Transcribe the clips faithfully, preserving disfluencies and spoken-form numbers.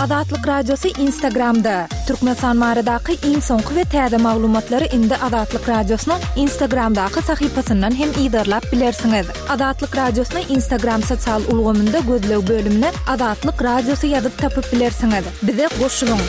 Azatlyk Radiosy Instagramda. Türkmenistan baradaky iň soňky we täze maglumatlary indi Azatlyk Radiosynyň Instagramdaky sahypasyndan hem yzarlap bilersiňiz. Azatlyk Radiosyny Instagram sosial ulgamynda gözleg bölümine Azatlyk Radiosy ýazyp tapyp bilersiňiz. Bize goşulyň.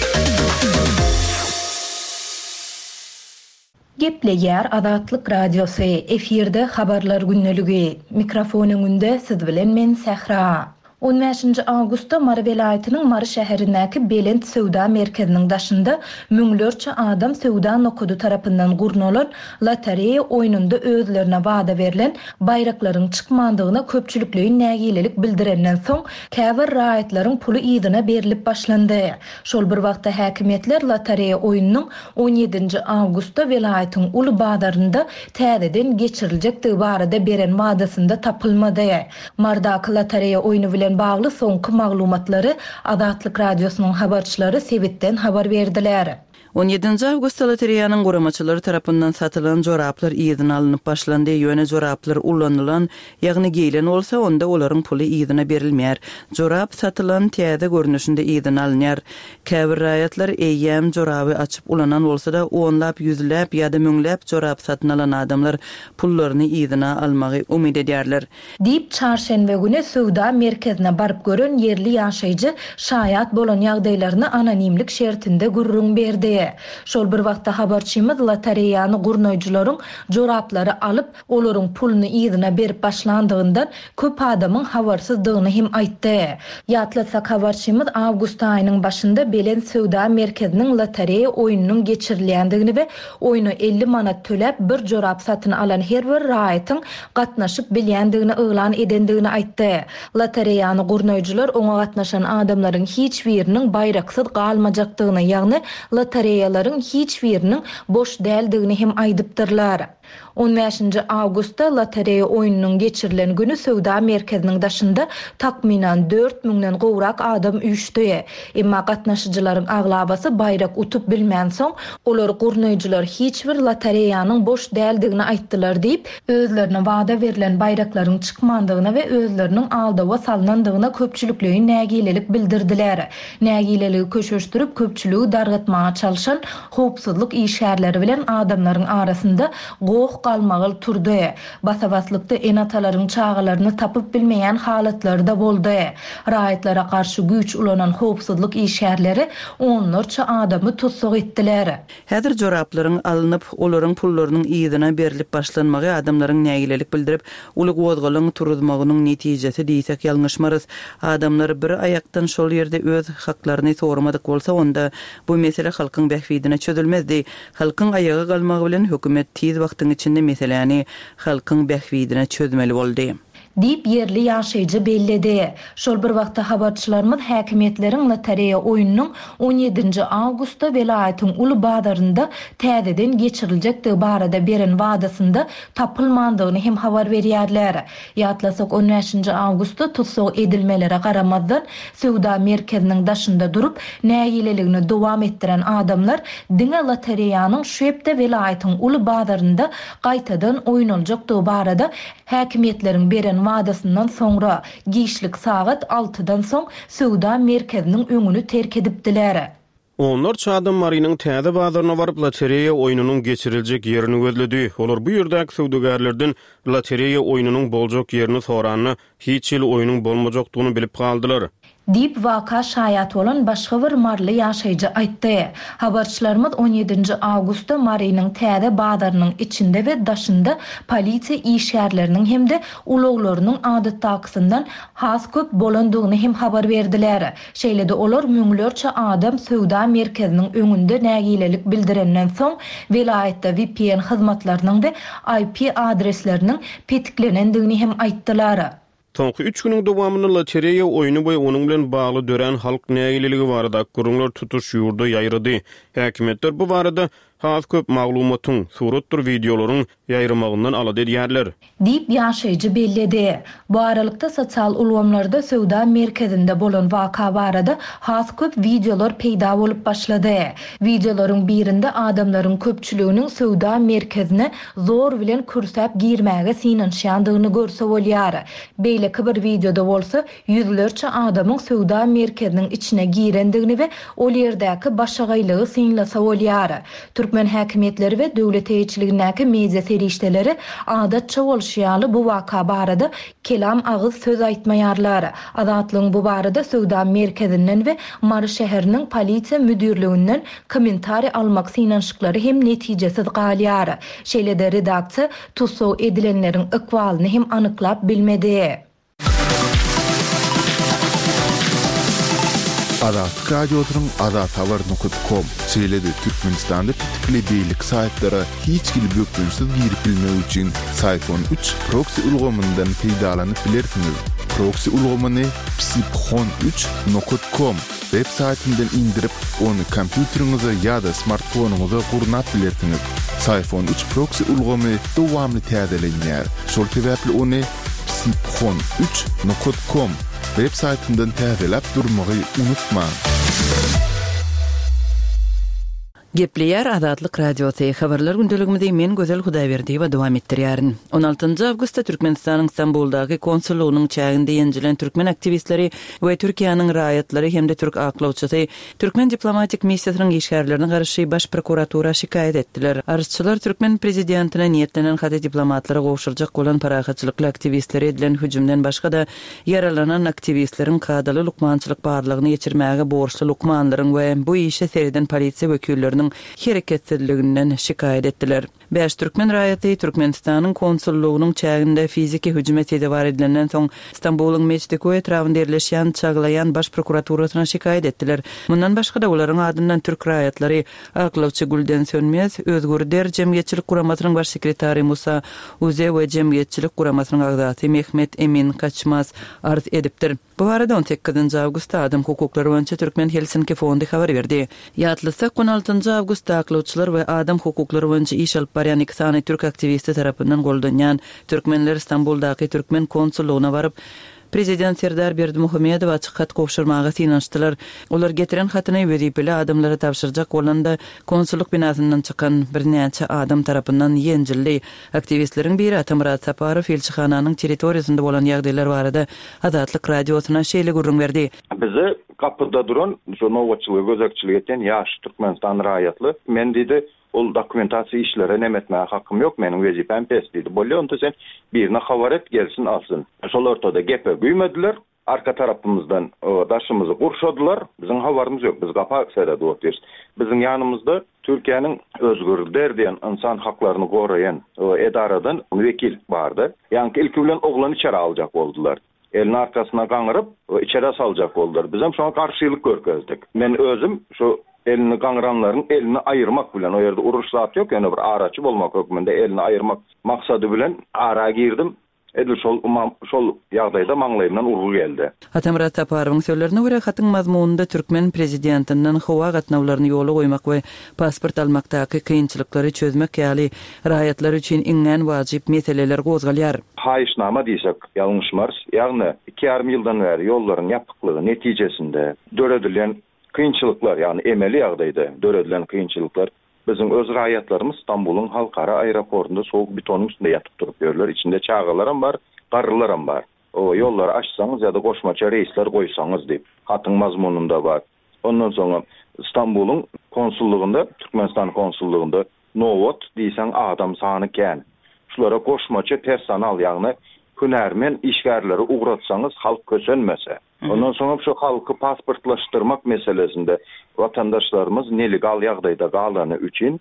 Gepleýär Azatlyk Radiosy, efirde habarlar gündeligi. Mikrofon öňünde siz bilen men Sähra. On bäşinji awgustda Mary welaýatynyň Mary şäherindäki Belent söwda merkeziniň daşynda müňlerçe adam söwda nokady tarapyndan gurnalan lotereýa oýnunda özlerine wada berlen baýraklaryň çykmandygyna köpçülikleýin nägilelik bildirenden soň, käbir raýatlaryň puly yzyna berlip başlandy. Şol bir wagtda häkimiýetler lotereýa oýnunyň on ýedinji awgustda welaýatyň uly bazarynda täzeden geçiriljekdigi barada beren wadasynda tapylmady. Mardaky lotereýa oýny bilen bagly soňky maglumatlary Azatlyk Radiosynyň habarçylary sebitden habar berdiler. On ýedinji awgustda lotereýanyň guramaçylary tarapyndan satylan joraplar yzyna alnyp başlandy. Ýöne joraplar ulanylan, ýagny geýlen bolsa, onda olaryň puly yzyna berilmeýär. Jorap satylan täze görnüşinde yzyna alynýar. Käbir raýatlar eýýäm joraby açyp ulanan bolsa-da, onlap, ýüzläp ýa-da müňläp jorap satyn alan adamlar pullaryny yzyna almagy umyt edýärler. Diýip, çarşenbe güni söwda merkezine baryp gören ýerli ýaşaýjy şaýat bolan ýagdaýlaryny anonimlik şertinde gürrüň berdi. Şol bir wagtda habarçymyz lotereýany gurnaýjylaryň joraplary alyp, olaryň puluny yzyna berip başlandygyndan köp adamyň habarsyzdygyny hem aýtdy. Ýatlatsak, habarçymyz awgust aýynyň başynda Belent söwda merkeziniň lotereýa oýnunyň geçirilýändigini we oýna elli manat töläp bir jorap satyn alan her bir raýatyň gatnaşyp bilýändigini yglan edendigini aýtdy. Lotereýany gurnaýjylar oňa gatnaşan adamlaryň hiç biriniň baýraksyz galmajakdygyny, ýagny lotereýalaryň hiç biriniň boş däldigini hem aýdypdyrlar. On bäşinji awgustda lotereýa oýnunyň geçirilen güni söwda merkeziniň daşynda takmynan dört müňden gowrak adam üýşdi. Emma gatnaşyjylaryň aglabasy baýrak utup bilmänsoň, olar gurnaýjylar hiç bir lotereýanyň boş däldigini aýtdylar diýip, özlerine wada berlen baýraklaryň çykmandygyna we özleriniň aldawa salnandygyna köpçülikleýin nägilelik bildirdiler. Nägileligi köşeşdirip, köpçüligi dargatmaga çalşan howpsuzlyk işgärleri bilen adamlaryň arasynda goh galmagal turdy. Basabaslykda ene-atalaryň çagalaryny tapyp bilmeýän halatlary-da boldy. Raýatlara garşy güýç ulanan howpsuzlyk işgärleri onlarça adamy tussag etdiler. Häzir joraplaryň alnyp, olaryň pullarynyň yzyna berlip başlanmagy adamlaryň nägilelik bildirip, uly gozgalaň turuzmagynyň netijesi diýsek ýalňyşmarys. Adamlar bir aýakdan şol ýerde öz haklaryny sormadyk bolsa, onda bu mesele halkyň bähbidine çözülmezdi. Halkyň aýaga galmagy bilen hökümet tiz wagtyň içinde meseläni halkyň bähbidine çözmeli boldy. Diýip ýerli ýaşaýjy belledi. Şol bir wagtda habarçylarymyz häkimiýetleriň lotereýa oýnunyň on ýedinji awgustda welaýatyň uly bazarynda täzeden geçiriljekdigi barada beren wadasynda tapylmandygyny hem habar berýärler. Ýatlasak, on bäşinji awgustda tussag edilmelere garamazdan söwda merkeziniň daşynda durup nägileligini dowam etdiren adamlar diňe lotereýanyň şu hepde welaýatyň uly bazarynda gaýtadan oýnaljakdygy barada häkimiýetleriň beren wadasyndan soňra giçlik sagat altydan soň söwda merkeziniň öňüni terk edipdiler. Onlarça adam Marynyň täze bazaryna baryp lotereýa oýnunyň geçiriljek ýerini gözledi. Olar bu ýerdäki söwdagärlerden lotereýa oýnunyň boljak ýerini soranda hiç hili oýnuň bolmajakdygyny bilip galdylar. Diýip waka şaýat bolan başga bir maryly ýaşaýjy aýtdy. Habarçylarymyz on ýedinji awgustda Marynyň täze bazarynyň içinde we daşynda polisiýa işgärleriniň hem-de ulaglarynyň adatdakysyndan has köp bolandygyny hem habar berdiler. Şeýle-de olar müňlerçe adam söwda merkeziniň öňünde nägilelik bildirenden soň welaýatda V P N hyzmatlarynyň we I P adresleriniň petiklenendigini hem aýtdylar. Soňky üç günüň dowamynda lotereýa oýny we onuň bilen bagly dörän halk nägileligi barada gürrüňler tutuş ýurda ýaýrady. Häkimiýetler bu barada has köp maglumatyň, suratdyr wideolaryň ýaýramagyndan alada edýärler. Diýip ýaşaýjy belledi. Bu aralykda sosial ulgamlarda söwda merkezinde bolan waka barada has köp wideolar peýda bolup başlady. Wideolaryň birinde adamlaryň köpçüliginiň söwda merkezine zor bilen kürsäp girmäge synanyşýandygyny görse bolýar. Beýleki bir wideoda bolsa ýüzlerçe adamyň söwda merkeziniň içine girendigini we ol ýerdäki başagaýlygy synlasa bolýar. Türkmen häkimiýetleri we döwlet eýeçiligindäki media serişdeleri adatça bolşy ýaly bu waka barada kelam agyz söz aýtmaýarlar. Azatlygyň bu barada söwda merkezinden we Mary şäheriniň polisiýa müdirliginden kommentariý almak synanyşyklary hem netijesiz galýar. Şeýle-de redaksiýa tussag edilenleriň ykbalyny hem anyklap bilmedi. Azatlyk Radiosynyň azathabar nokta com şeýle-de Türkmenistanda petikli beýleki saýtlara hiç hili bökdençsiz girip bilmek üçin Syfon üç proxy ulgamyndan peýdalanyp bilersiňiz. Proxy ulgamyny psiphon üç nokta com web saýtyndan indirip, ony kompýuteriňize ýa-da smartfonyňyza gurnap bilersiňiz. Syfon üç proxy ulgamy dowamly täzelenýär. Şol sebäpli ony psiphon üç nokta com web saýtyndan täzeläp durmagy unutmaň. Gepleýär Azatlyk Radiosy. Habarlar gündeligimizi men Gözel Hudaýberdiýewa dowam etdirýärin. on altynjy awgustda Türkmenistanyň Stambuldaky konsullygynyň çäginde ýenjilen türkmen aktiwistleri we Türkiýäniň raýatlary hem-de türk aklawçysy türkmen diplomatik missiýasynyň işgärlerine garşy baş prokuratura şikaýat etdiler. Arzçylar türkmen prezidentine niýetlenen haty diplomatlara gowşurjak bolan parahatçylykly aktiwistleri edilen hüjümden başga-da ýaralanan aktiwistleriň kadaly lukmançylyk barlagyny geçirmäge borçly lukmanlaryň we bu işe sereden polisiýa wekilleriniň hereketsizliginden şikaýat etdiler. Bäş türkmen raýaty Türkmenistanyň konsullygynyň çäginde fiziki hüjüme sezewar edilenden soň Stambulyň Meçdikoý etrabynda ýerleşýän Çaglaýan baş prokuraturasyna şikaýat etdiler. Mundan başga-da olaryň adyndan türk raýatlary Aklawçy Gülden Sönmez, Özgür Der Jemgyýetçilik Guramasynyň baş sekretary Musa Uze we Jemgyýetçilik Guramasynyň agzasy Mehmet Emin Kaçmaz arz edipdir. Bu arada on sekizinji awgustda adam hukuklary boýunça Türkmen Helsinki fondy habar berdi. Ýatlasak, on altynjy awgustda aklawçylar we adam hukuklary boýunça iş alyp barýan iki sany türk aktiwisti tarapyndan goldanýan türkmenler Stambuldaky türkmen konsullygyna baryp, Prezident Serdar Berdimuhamedowa açyk hat gowşurmaga synanyşdylar. Olar getiren hatyny wezipeli adamlara tabşyrjak bolanda konsullyk binasyndan çykan birnäçe adam tarapyndan ýenjildi. Aktiwistleriň biri Atamyrat Saparow ilçihananyň territoriýasynda bolan ýagdaýlar barada Azatlyk Radiosyna şeýle gürrüň berdi. Bizi kapyda duran şu nobatçylygy gözegçilik eden ýaş Türkmenistan raýatly men diýdi, ol dokumentasiýa işlere nem etmäge hakym ýok, meniň wezipem pes diýdi. Bolýa, onda sen birine habar et, gelsin alsyn. Şol ortada gepe güýmediler, arka tarapymyzdan, o, daşymyzy gurşadylar. Biziň habarymyz ýok, biz gapa seredip otyrys. Biziň ýanymyzda Türkiýäniň Özgür Der diýen insan haklaryny goraýan, o, edaradan wekil bardy. Ýaňky ilki bilen oglany içeri aljak boldular. Elini arkasyna gaňyryp, o, içeri saljak boldular. Bizem şoňa garşylyk görkezdik. Men özüm şu elini gaňyranlaryň elini aýyrmak bilen, o ýerde uruş zat ýok, ýöne bir araçy bolmak hökmünde elini aýyrmak maksady bilen ara girdim. Edil şol umam, şol ýagdaýda maňlaýymdan urgy geldi. Atamyrat Saparowyň sözlerine görä hatyň mazmunynda türkmen prezidentinden howa gatnawlaryny ýola goýmak we pasport almakdaky kynçylyklary çözmek ýaly raýatlar üçin iňňän wajyp meseleler gozgalýar. Haýyşnama diýsek ýalňyşmarys, ýagny iki ýarym ýyldan bäri ýollaryň ýapyklygy netijesinde döredilen kynçylyklar, ýagny emeli ýagdaýda döredilen kynçylyklar biziň öz raýatlarymyz Stambulyň halkara aeroportunda soğuk betonyň üstünde ýatyp durup ýörler. Içinde çagalaram bar, garrylaram bar. O ýollary açsaňyz ýa-da goşmaça reýsler goýsaňyz diýip hatyň mazmunynda bar. Ondan soňra Stambulyň konsullygynda, Türkmenistan konsullygynda nobat diýseň adam sany kän. Şulara goşmaça personal, ýagny hünärmen işgärleri ugratsaňyz halk kösenmese. Ondan soňra şu halky pasportlaşdyrmak meselesinde vatandaşlarymyz nelegal ýagdaýda galany üçin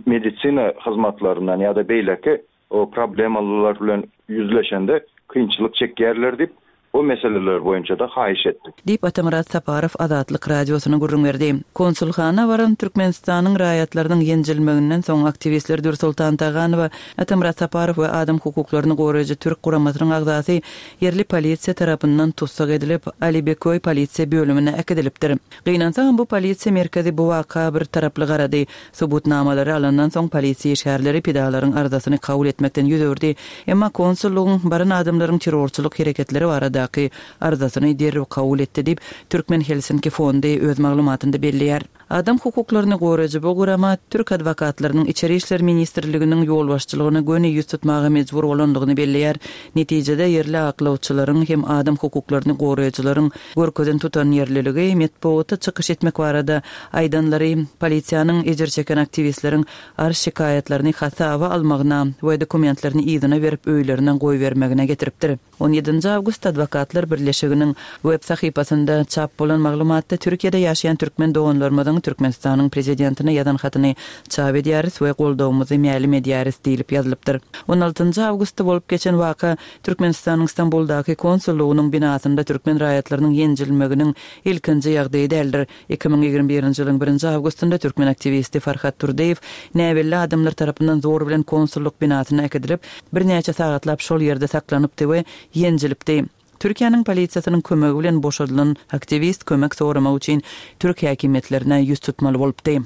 medisina hyzmatlaryndan ýa-da beýleki o problemalar bilen ýüzleşende kynçylyk çekýärler diýip Bu meseleler boýunça-da haýyş etdik. Diýip, Atamyrat Saparow Azatlyk Radiosyna gürrüň berdi. Konsulhana baran Türkmenistanyň raýatlarynyň ýenjilmeginden soň aktiwistler Dürsoltan Taganowa, Atamyrat Saparow we adam hukuklaryny goraýjy türk guramasynyň agzasy ýerli polisiýa tarapyndan tussag edilip, Alibeköý polisiýa bölümine äkidilipdir. Gynansagam, bu polisiýa merkezi bu waka bir taraply garady. Subutnamalary alandan soň polisiýa işgärleri pidalaryň arzasyny kabul etmekden ýüz öwürdi. Emma konsullygyň baran adamlaryň terrorçylyk hereketleri baradaky arzasyny derrew kabul etdi diýip, Türkmen Helsinki fondy öz maglumatynda belleýär. Adam hukuklaryny goraýjy bu gurama türk adwokatlarynyň Içeri işler ministrliginiň ýolbaşçylygyna göni ýüz tutmaga mejbur bolandygyny belleýär. Netijede ýerli aklawçylaryň hem adam hukuklaryny goraýjylaryň görkezen tutanýerliligi, metbugata çykyş etmek barada aýdanlary polisiýanyň ejir çeken aktiwistleriň arz-şikaýatlaryny hasaba almagyna we dokumentlerini yzyna berip öýlerine goýbermegine getiripdir. On ýedinji awgustda Adwokatlar birleşiginiň web sahypasynda çap bolan maglumatda Türkiýede ýaşaýan türkmen doganlarymyzyň Türkmenistanyň Prezidentine ýazan hatyny çap edýäris we goldawymyzy mälim edýäris diýlip ýazylypdyr. On altynjy awgustda bolup geçen waka Türkmenistanyň Stambuldaky konsullygynyň binasynda türkmen raýatlarynyň ýenjilmeginiň ilkinji ýagdaýy däldir. Iki müň ýigrimi birinji ýylyň birinji awgustynda türkmen aktiwisti Farhat Turdyýew näbelli adamlar tarapyndan zor bilen konsullyk binasyna äkidilip, birnäçe sagatlap şol ýerde saklanypdy we ýenjilipdi. Türkiýäniň polisiýasynyň kömegi bilen boşadylan aktiwist kömek soramak üçin türk häkimiýetlerine ýüz tutmaly bolupdy.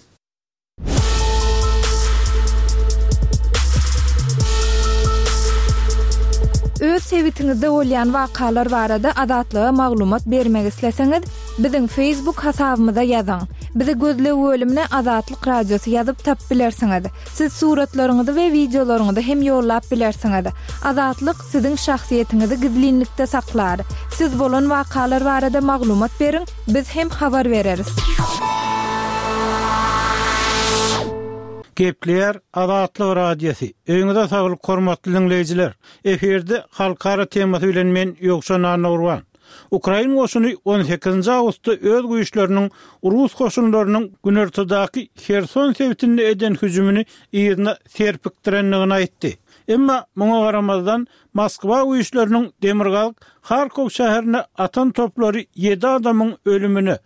Öz sebitiňizde bolýan wakalar barada Azatlyga maglumat bermek isleseňiz, biziň Facebook hasabymyza ýazyň. Bizi gözleg bölümine Azatlyk Radiosy ýazyp tapyp bilersiňiz. Siz suratlaryňyzy we wideolaryňyzy hem ýollap bilersiňiz. Azatlyk siziň şahsyýetiňizi gizlinlikde saklar. Siz bolan wakalar barada maglumat beriň, biz hem habar bereris. Gepleýär Azatlyk Radiosy. Öýüňize saglyk hormatly diňleýjiler. Efirde halkara temasy bilen men Ýowşan Annagurban. Ukrain goşuny on sekizinji awgustda öz güýçleriniň rus goşunlarynyň günortadaky Herson sebitinde eden hüjümini yzyna serpikdirendigini aýtdy. Emma muňa garamazdan Moskwa güýçleriniň demirgazyk Harkov şäherine atan toplary ýedi adamyň ölümine,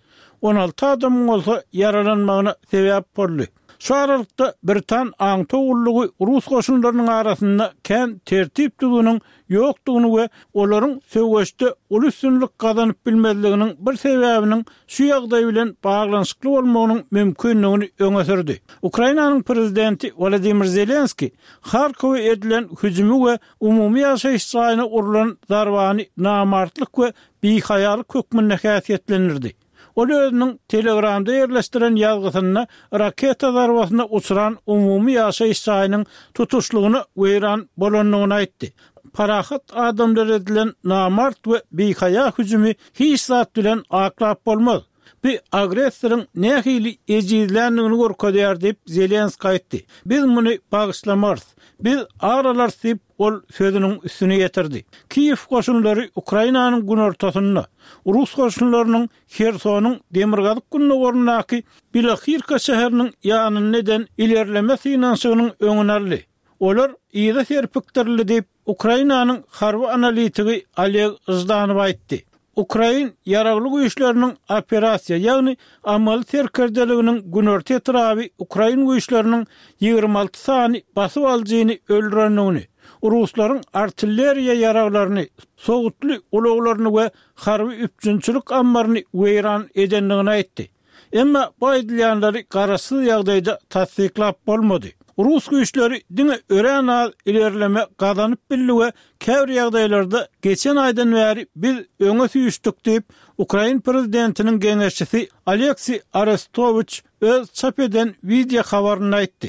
on alty adamyň bolsa ýaralanmagyna sebäp boldy. Şu aralykda Britan aňtaw gullugy rus goşunlarynyň arasynda kän tertip düzgüniň ýokdugyny we olaryň söweşde uly üstünlik gazanyp bilmezliginiň bir sebäbiniň şu ýagdaý bilen baglanyşykly bolmagynyň mümkinligini öňe sürdi. Ukrainanyň prezidenti Wladimir Zelenski Harkowa edilen hüjümi we umumy ýaşaýyş jaýyna urlan zarbany namartlyk we bihaýalyk hökmünde häsiýetlendirdi. Ol özüniň Telegramda ýerleşdiren ýazgysynda raketa zarbasyna uçran umumy ýaşaýyş jaýynyň tutuşlygyna weýran bolandygyny aýtdy. Parahat adamlar edilen namart we bihaýa hüjümi hiç zat bilen aklap bolmaz. Bu agressoryň nähili ejizländigini görkezýär diýip Zelenski aýtdy. Biz muny bagyşlamarys. Biz ar alarys diýip ol sözüniň üstüne ýetirdi. Kiýew goşunlary Ukrainanyň günortasynda, rus goşunlarynyň Hersonyň demirgazyk gündogaryndaky Bilohirka şäheriniň ýanynda eden ilerleme synanyşygynyň öňüni aldy. Olar yza serpikdirildi diýip Ukrainanyň harby analitigi Oleg Ždanow aýtdy. Ukrain ýaragly güýçleriniň operasiýa, ýagny amaly serkerdeliginiň günorta etraby ukrain güýçleriniň ýigrimi alty sany basyp alyjyny öldürendigini, ruslaryň artilleriýa ýaraglaryny, sowutly ulaglaryny we harby üpjünçilik ammaryny weýran edendigini aýtdy. Emma bu aýdylýanlary garaşsyz ýagdaýda tassyklap bolmady. Rus güýçleri diňe örän az ilerleme gazanyp bildi we käbir ýagdaýlarda geçen aýdan bäri biz öňe süýşdük diýip, Ukrain prezidentiniň geňeşçisi Aleksiý Arestowiç öz çap eden wideo habarynda aýtdy.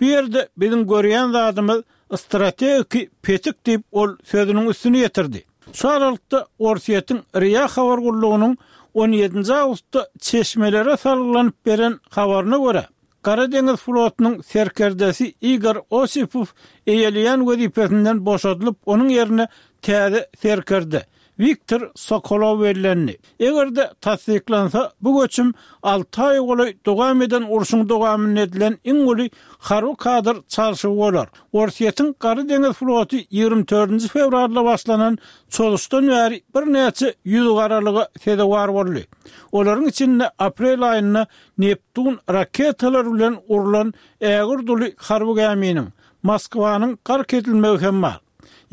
Bu ýerde biziň görýän zadymyz strategiki petik diýip ol sözüniň üstüni ýetirdi. Şu aralykda Orsýetiň RIA habar gullugynyň on ýedinji awgustda çeşmelere salgylanyp beren habaryna görä, Gara deňiz flotunyň serkerdesi Igor Osipow eýeleýän wezipesinden boşadylyp, onuň ýerine täze serkerde Wiktor Sokolow bellendi. Eger-de tassyklansa, bu göçüm alty aýa golaý dowam eden urşuň dowamynda edilen iň uly harby kadr çalşygy bolar. Orsýetiň Gara deňiz floty ýigrimi dördünji fewralda başlanan çozuşdan bäri birnäçe ýüzügaralyga sezewar boldy. Olaryň içinde aprel aýynda Neptun raketalary bilen urlan ägirt uly harby gäminiň Moskwanyň gark edilmegi hem bar.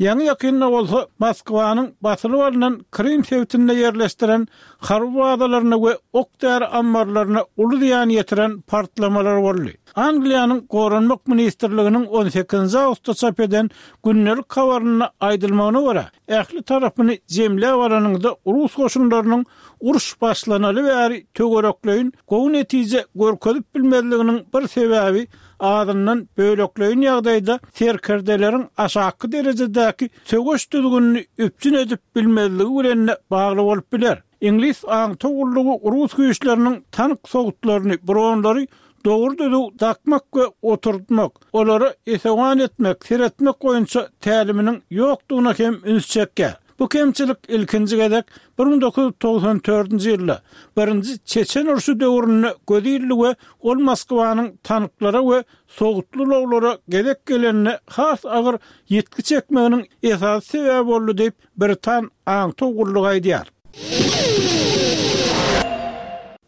Ýaňy-ýakynda bolsa Moskwanyň basylyp alnan Krym sebitinde ýerleşdiren harby bazalaryna we ok-däri ammarlaryna uly zyýan ýetiren partlamalar boldy. Angliýanyň Goranmak ministrliginiň on sekizinji awgustda çap eden gündelik habarynda aýdylmagyna görä, ähli tarapyny jemläp alanyňda rus goşunlarynyň uruş başlanaly bäri töwerekleýin gowy netije görkezip bilmezliginiň bir sebäbi azyndan bölekleýin ýagdaýda serkerdeleriň aşaky derejedäki söweş düzgünini üpjün edip bilmezligi bilen bagly bolup biler. Iňlis aňtaw gullugy rus güýçleriniň tank sowutlaryny, bronlary dogry düzüw dakmak we oturtmak, olara esewan etmek, seretmek boýunça täliminiň ýokdugyna hem üns çekýär. Bu kemçilik ilkinji gezek bir müň dokuz ýüz togsan dördünji ýylda birinji Çeçen urşy döwründe göz ildi we ol Moskwanyň tanklara we sowutly ulaglara gezek gelende has agyr ýitgi çekmeginiň esasy sebäbi boldy diýip, Britan aňtaw gullugy aýdýar.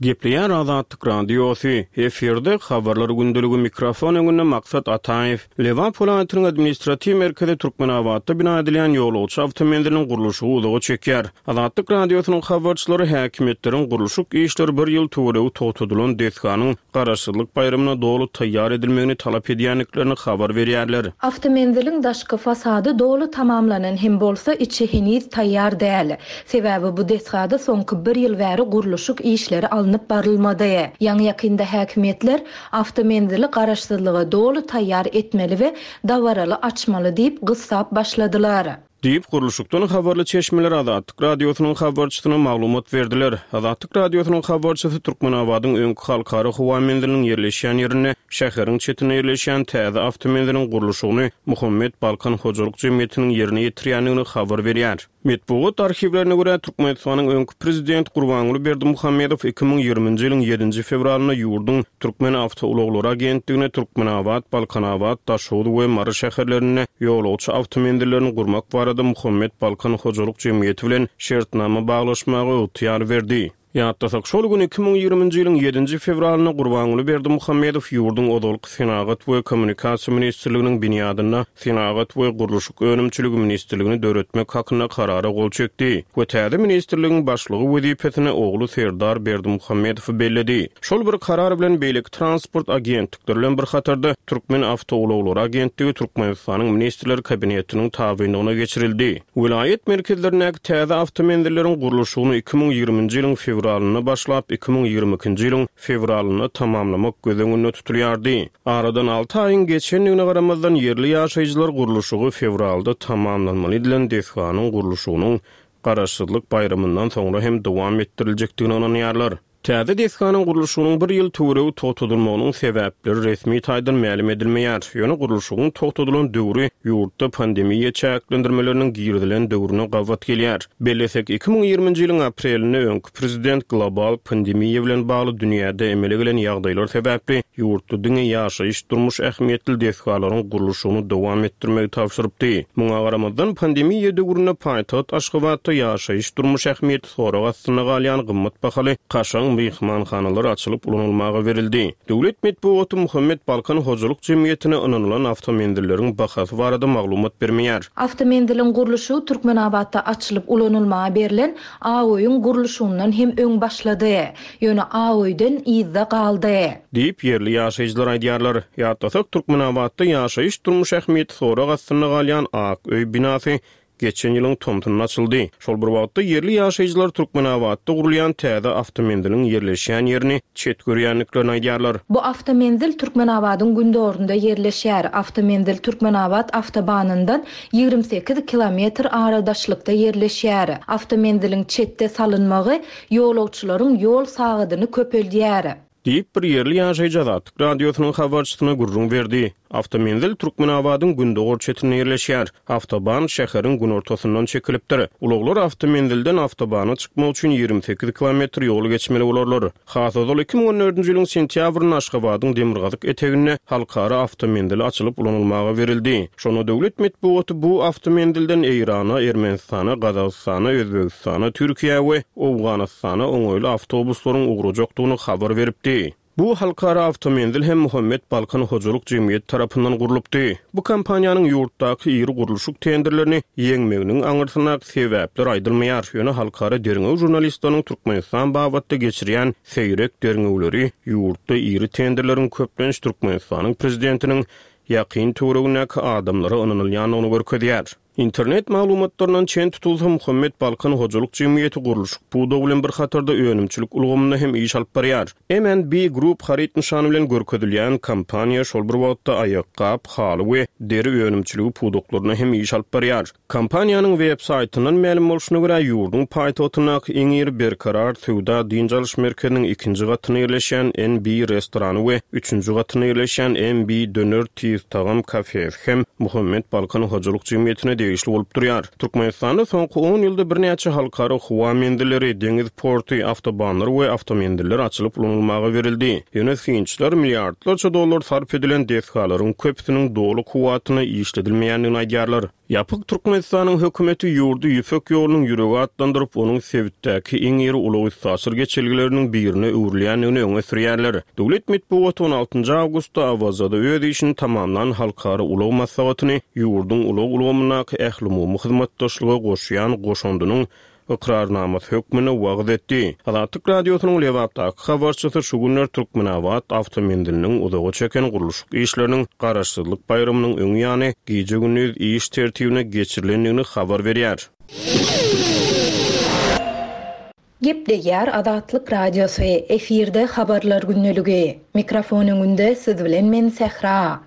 Gepleýär Azatlyk Radiosy, efirde habarlar gündeligi mikrofon öňünde Maksat Ataýew. Lebap welaýatynyň administratiw merkezi Türkmenabatda bina edilýän ýolagçy awtomenziliniň gurluşygy uzaga çekýär. Azatlyk Radiosynyň habarçylary häkimiýetleriň gurluşyk işleri bir ýyl töweregi togtadylan desganyň Garaşsyzlyk baýramyna doly taýýar edilmegini talap edýändiklerini habar berýärler. Awtomenziliň daşky fasady doly tamamlanan hem bolsa içi heniz taýýar däl. Sebäbi bu desgada soňky bir ýyl bäri gurluşyk işleri alnyp barylmady. Ýaňy-ýakynda häkimiýetler awtomenzili garaşsyzlyga doly taýýar etmeli we dabaraly açmaly diýip gyssap başladylar. Diýip, gurluşykdan habarly çeşmeler Azatlyk Radiosynyň habarçysyna maglumat berdiler. Azatlyk Radiosynyň habarçysy Türkmenabadyň öňki halkara howa menziliniň ýerleşýän ýerinde şäheriň çetinde ýerleşýän täze awtomenziliň gurluşygyny Muhammet Balkan hojalyk jemgyýetiniň ýerine ýetirýändigini habar berýär. Metbugat arhiwlerine görä, Türkmenistanyň öňki prezident Gurbanguly Berdimuhamedow iki müň ýigriminji ýylyň ýedinji fewralynda ýurduň Türkmen awtoulaglary agentligine Türkmenabat, Balkanabat, Daşoguz we Mary şäherlerinde ýolagçy awtomenzillerini gurmak barada Muhammet Balkan hojalyk jemgyýeti bilen şertnama baglaşmaga ygtyýar berdi. Ýatlasak, şol gün iki müň ýigriminji ýylyň ýedinji fewralynda Gurbanguly Berdimuhamedow ýurduň ozalky Senagat we kommunikasiýa ministrliginiň binýadynda Senagat we gurluşyk önümçiligi ministrligini döretmek hakynda karara gol çekdi we täze ministrligiň başlygy wezipesine ogly Serdar Berdimuhamedowy belledi. Şol bir karar bilen beýleki transport agentlikleri bilen bir hatarda Türkmen awtoulaglary agentligi Türkmenistanyň Ministrler Kabinetiniň tabynlygyna geçirildi. Welaýat merkezlerindäki täze awtomenzilleriň gurluşygyny iki müň ýigriminji ýylyň fewralynda başlap, iki müň ýigrimi ikinji ýylyň fewralynda tamamlamak göz öňünde tutulýardy. Aradan alty aýyň geçendigine garamazdan ýerli ýaşaýjylar gurluşygy fewralda tamamlanmaly edilen desganyň gurluşygynyň Garaşsyzlyk baýramyndan soňra hem dowam etdiriljekdigine ynanýarlar. Täze desganyň gurluşygynyň bir ýyl töweregi togtadylmagynyň sebäpleri resmi taýdan mälim edilmeýär. Ýöne gurluşygyň togtadylan döwri ýurtda pandemiýa çäklendirmeleriniň girizilen döwrüne gabat gelýär. Bellesek, iki müň ýigriminji ýylyň aprelinde öňki prezident global pandemiýa bilen bagly dünýäde emele gelen ýagdaýlar sebäpli ýurtda diňe ýaşaýyş durmuş ähmiýetli desgalaryň gurluşygyny dowam etdirmegi tabşyrypdy. Muňa garamazdan pandemiýa döwründe paýtagt Aşgabatda ýaşaýyş durmuş ähmiýeti sorag astynda galýan gymmat bahaly kaşaň myhmanhanalar açylyp ulanylmaga berildi. Döwlet metbugaty Muhammet Balkan hojalyk jemgyýetine ynanylan awtomenzilleriň bahasy barada maglumat bermeýär. Awtomenziliň gurluşygy Türkmenabatda açylyp ulanylmaga berlen Aoýyň gurluşygyndan hem öň başlady. Ýöne Aoýdan yzda galdy. Diýip ýerli ýaşaýjylar aýdýarlar. Ýatlasak, Türkmenabatda ýaşaýyş durmuş ähmiýeti sorag astynda galýan Ak öý binasy geçen ýylyň tomsunda açyldy. Şol bir wagtda ýerli ýaşaýjylar Türkmenabatda gurulýan täze awtomenziliň ýerleşýän ýerini çet görýändiklerini aýdýarlar. Bu awtomenzil Türkmenabadyň gündorunda ýerleşýär. Awtomenzil Türkmenabat awtobanyndan ýigrimi sekiz kilometr aradaşlykda ýerleşýär. Awtomenziliň çetde salynmagy ýolagçylaryň ýol sagadyny köpeldýär. Diýip, bir ýerli ýaşaýjy Azatlyk Radiosynyň habarçysyna gürrüň berdi. Awtomenzil Türkmenabadyň gündogar çetinde ýerleşýär. Awtoban şäheriň günortasyndan çekilipdir. Ulaglar awtomenzilden awtobana çykmak üçin ýigrimi sekiz kilometr ýol geçmeli bolarlar. Has ozal iki müň on dördünji ýylyň sentýabrynda Aşgabadyň demirgazyk eteginde halkara awtomenzili açylyp ulanylmaga berildi. Şonda döwlet metbugaty bu awtomenzilden Eýrana, Ermenistana, Gazagystana, Özbegistana, Türkiýä we Owganystana oňaýly awtobuslaryň ugrajakdygyny habar beripdi. Bu halkara awtomenzil hem Muhammet Balkan hojalyk jemgyýeti tarapyndan gurlupdy. Bu kompaniýanyň ýurtdaky iri gurluşyk tenderlerini ýeňmeginiň aňyrsyndaky sebäpler aýdylmaýar. Ýöne halkara derňew žurnalistleriniň Türkmenistan babatda geçirýän seýrek derňewleri ýurtda iri tenderleriň köplenç Türkmenistanyň prezidentiniň ýakyn töweregindäki adamlara ynanylýandygyny görkezýär. Internet maglumatlaryndan çen tutulsa, Muhammet Balkan hojalyk jemgyýeti gurluşyk pudagy bilen bir hatarda önümçilik ulgamynda hem iş alyp barýar. M and B Group haryt nyşany bilen görkezilýän kompaniýa şol bir wagtda aýakgap, haly we deri önümçiligi pudaklarynda hem iş alyp barýar. Kompaniýanyň web saýtyndan mälim bolşuna görä, ýurduň paýtagtyndaky iň iri Berkarar söwda dynç alyş merkeziniň ikinji gatynda ýerleşýän N B restorany we üçünji gatynda ýerleşýän M B döner tiz tagam kafesi hem Muhammet Balkan hojalyk jemgyýetine degişli bolup durýar. Türkmenistanda soňky on ýylda birnäçe halkara howa menzilleri, deňiz porty, awtobanlar we awtomenziller açylyp ulanylmaga berildi. Ýöne synçylar milliardlarça dollar sarp edilen desgalaryň köpüsiniň doly kuwwatyna işledilmeýändigini aýdýarlar. Ýapyk Türkmenistanyň hökümeti ýurdy Ýüpek ýolunyň ýüregi atlandyryp, onuň sebitdäki iň iri ulag üstaşyr geçelgeleriniň birine öwrülýändigini öňe sürýärler. Döwlet metbugaty on altynjy awgustda Awazada öz işini tamamlan halkara ulag maslahatyny ýurduň ulag ulgamyndaky ählumumy hyzmatdaşlyga goşýan goşundynyň ykrarnamasy hökmünde wagyz etdi. Azatlyk Radiosynyň Lebapdaky habarçysy şu günler Türkmenabat awtomenziliniň uzaga çeken gurluşyk işleriniň Garaşsyzlyk baýramynyň öň ýany gije-gündiz iş tertibine geçirilendigini habar berýär. Gepleýär Azatlyk Radiosy, efirde habarlar gündeligi. Mikrofon öňünde siz bilen men Sähra.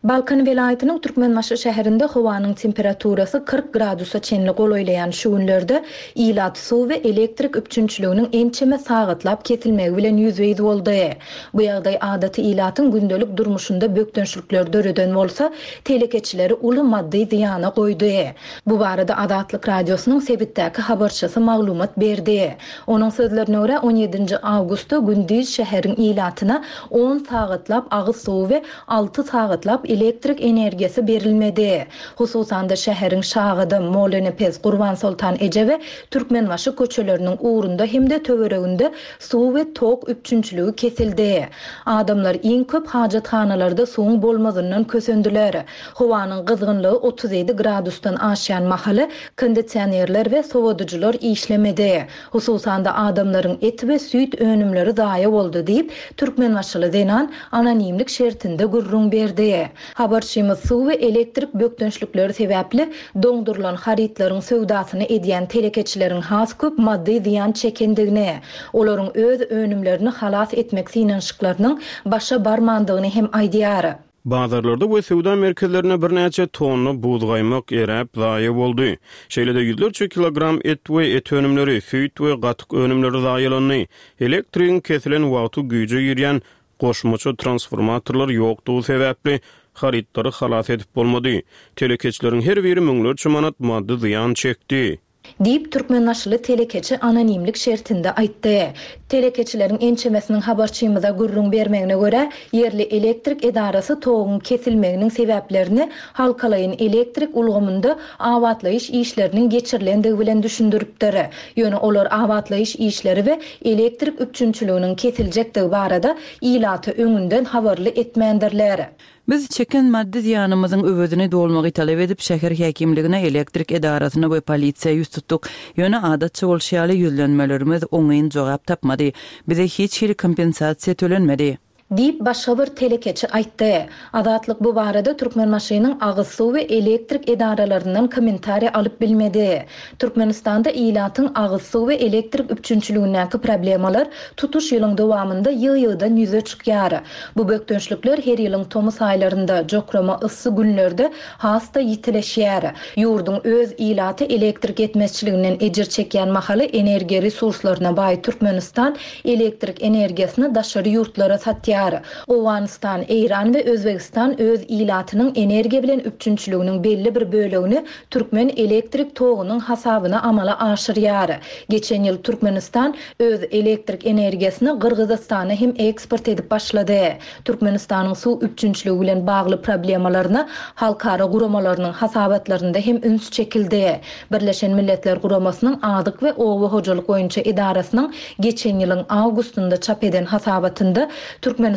Balkan welaýatynyň Türkmenbaşy şäherinde howanyň temperaturasy kyrk gradusa çenli golaýlaýan şu günlerde ilat suw we elektrik üpjünçiliginiň ençeme sagatlap kesilmegi bilen ýüzbe-ýüz boldy. Bu ýagdaý adaty ilatyň gündelik durmuşynda bökdençlikler döreden bolsa, telekeçileri uly maddy zyýana goýdy. Bu barada Azatlyk Radiosynyň sebitdäki habarçysy maglumat berdi. Onuň sözlerine görä on ýedinji awgustda gündiz şäheriň ilatyna on sagatlap agyz suwy we alty sagatlap elektrik energiýasy berilmedi. Hususan-da şäheriň Şagadam, Molenepes, Gurban Soltan Eje we Türkmenbaşy köçeleriniň ugrunda hem-de töwereginde suw we tok üpjünçiligi kesildi. Adamlar iň köp hajathanalarda suwuň bolmazyndan kösendiler. Howanyň gyzgynlygy otuz ýedi gradusdan aşýan mahaly kondisionerler we sowadyjylar işlemedi. Hususan-da adamlaryň et we süýt önümleri zaýa boldy diýip, Türkmenbaşyly zenan anonimlik şertinde gürrüň berdi. Habarçymyz suw we elektrik bökdençlikleri sebäpli doňdurylan harytlaryň söwdasyny edýän telekeçileriň has köp maddy zyýan çekendigini, olaryň öz önümlerini halas etmek synanyşyklarynyň başa barmandygyny hem aýdýar. Bazarlarda we söwda merkezlerinde birnäçe tonna buzgaýmak eräp zaýa boldy. Şeýle-de ýüzlerçe kilogram et we et önümleri, süýt we gatyk önümleri zaýalandy. Elektrigiň kesilen wagty güýje girýän goşmaça transformatorlar ýokdugy sebäpli harytlary halas edip bolmady. Telekeçileriň her biri müňlerçe manat maddy zyýan çekdi. Diýip, Türkmenbaşyly telekeçi anonimlik şertinde aýtdy. Telekeçileriň ençemesiniň habarçymyza gürrüň bermegine görä, ýerli elektrik edarasy toguň kesilmeginiň sebäplerini halkalaýyn elektrik ulgamynda abatlaýyş işleriniň geçirilendigi bilen düşündiripdir. Ýöne olar abatlaýyş işleri we elektrik üpjünçiliginiň kesiljekdigi barada ilaty öňünden habarly etmändirler. Biz çeken maddy zyýanymyzyň öwezini dolmagy talap edip, şäher häkimligine, elektrik edarasyna we polisiýa ýüz tutduk. Ýöne adatça bolşy ýaly ýüzlenmelerimiz oňyn jogap tapmady. Bize hiç hili kompensasiýa tölenmedi. Diýip, başga bir telekeçi aýtdy. Azatlyk bu barada Türkmenbaşynyň agyz suw we elektrik edaralaryndan kommentariý alyp bilmedi. Türkmenistanda ilatyň agyz suw we elektrik üpjünçiligindäki problemalar tutuş ýylyň dowamynda ýygy-ýygydan ýüze çykýar. Bu bökdençlikler her ýylyň tomus aýlarynda, jokrama yssy günlerde has-da ýitileşýär. Ýurduň öz ilaty elektrik ýetmezçiliginden ejir çekýän mahaly energiýa resurslaryna baý Türkmenistan elektrik energiýasyny daşary ýurtlara satýar. Owganystan, Eýran we Özbegistan öz ilatynyň energiýa bilen üpjünçiliginiň belli bir bölegini türkmen elektrik togunyň hasabyna amala aşyrýar. Geçen ýyl Türkmenistan öz elektrik energiýasyny Gyrgyzystana hem eksport edip başlady. Türkmenistanyň suw üpjünçiligi bilen bagly problemalaryna halkara guramalarynyň hasabatlarynda hem üns çekildi. Birleşen Milletler Guramasynyň Azyk we oba hojalyk boýunça edarasynyň geçen ýylyň awgustynda çap eden hasabatynda Türkmenistanda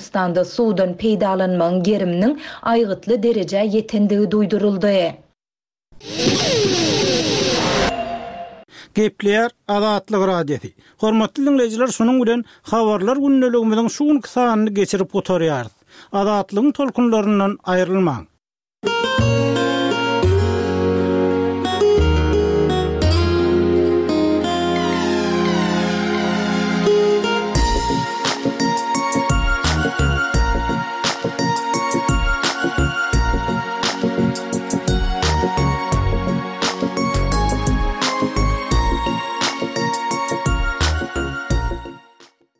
suwdan peýdalanmagyň geriminiň aýgytly derejä ýetendigi duýduryldy. Gepleýär Azatlyk Radiosy. Hormatly diňleýjiler, şunuň bilen Habarlar gündeligimiziň şu günki sanyny geçirip gutarýarys. Azatlygyň tolkunlaryndan aýrylmaň.